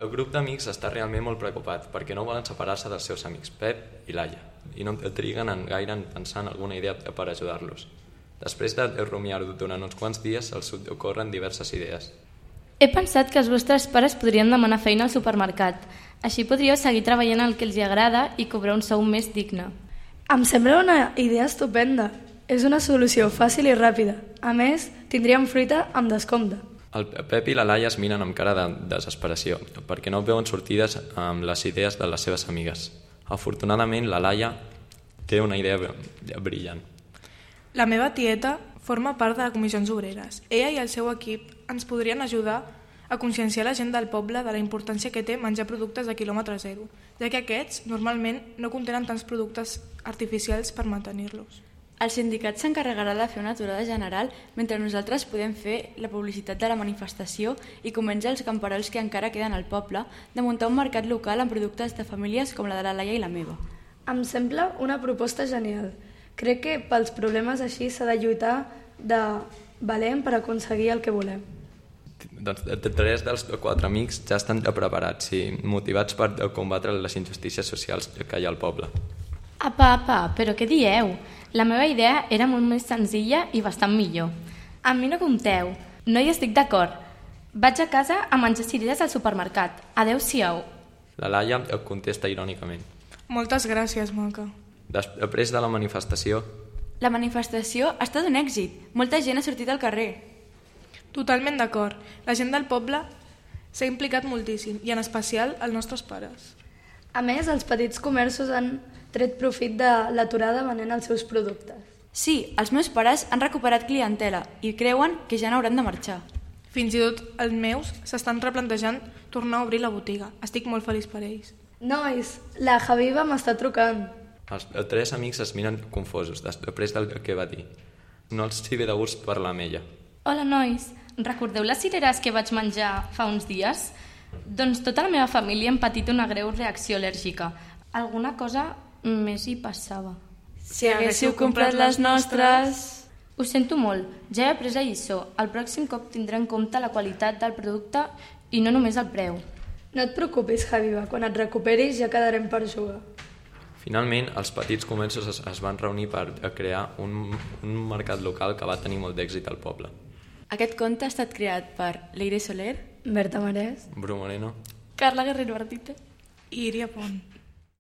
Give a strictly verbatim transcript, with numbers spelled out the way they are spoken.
El grup d'amics està realment molt preocupat perquè no volen separar-se dels seus amics Pep i Laia i no triguen en gaire en pensar en alguna idea per ajudar-los. Després de rumiar-ho durant uns quants dies els ocorren diverses idees. He pensat que els vostres pares podrien demanar feina al supermercat. Així podríeu seguir treballant el que els agrada i cobrar un sou més digne. Em sembla una idea estupenda. És una solució fàcil i ràpida. A més, tindríem fruita amb descompte. El Pep i la Laia es miren amb cara de desesperació perquè no veuen sortides amb les idees de les seves amigues. Afortunadament, la Laia té una idea brillant. La meva tieta forma part de les comissions obreres. Ella i el seu equip ens podrien ajudar a conscienciar la gent del poble de la importància que té menjar productes de quilòmetre zero, ja que aquests normalment no contenen tants productes artificials per mantenir-los. El sindicat s'encarregarà de fer una aturada general mentre nosaltres podem fer la publicitat de la manifestació i convèncer els camperols que encara queden al poble de muntar un mercat local amb productes de famílies com la de la Laia i la meva. Em sembla una proposta genial. Crec que pels problemes així s'ha de lluitar de valent per aconseguir el que volem. Doncs tres dels quatre amics ja estan preparats i motivats per combatre les injustícies socials que hi ha al poble. Apa, apa, però què dieu? La meva idea era molt més senzilla i bastant millor. Amb mi no compteu. No hi estic d'acord. Vaig a casa a menjar cireres al supermercat. Adéu-siau. La Laia contesta irònicament. Moltes gràcies, maca. Després de la manifestació... La manifestació ha estat un èxit. Molta gent ha sortit al carrer. Totalment d'acord. La gent del poble s'ha implicat moltíssim, i en especial els nostres pares. A més, els petits comerços han tret profit de l'aturada venent els seus productes. Sí, els meus pares han recuperat clientela i creuen que ja n'hauran de marxar. Fins i tot els meus s'estan replantejant tornar a obrir la botiga. Estic molt feliç per ells. Nois, la Javiva m'està trucant. Els tres amics es miren confosos després del que va dir. No els hi ve de gust parlar amb ella. Hola, nois. Recordeu les cireres que vaig menjar fa uns dies? Doncs tota la meva família hem patit una greu reacció al·lèrgica. Alguna cosa més hi passava. Si haguéssiu comprat les nostres... Ho sento molt, ja he après la lliçó. El pròxim cop tindré en compte la qualitat del producte i no només el preu. No et preocupis, Javiva, quan et recuperis ja quedarem per jugar. Finalment, els petits comerços es, es van reunir per crear un, un mercat local que va tenir molt d'èxit al poble. Aquest conte ha estat creat per Leire Soler, Berta Marès, Bru Moreno, Carla Guerrero Ardita i Iria Pont.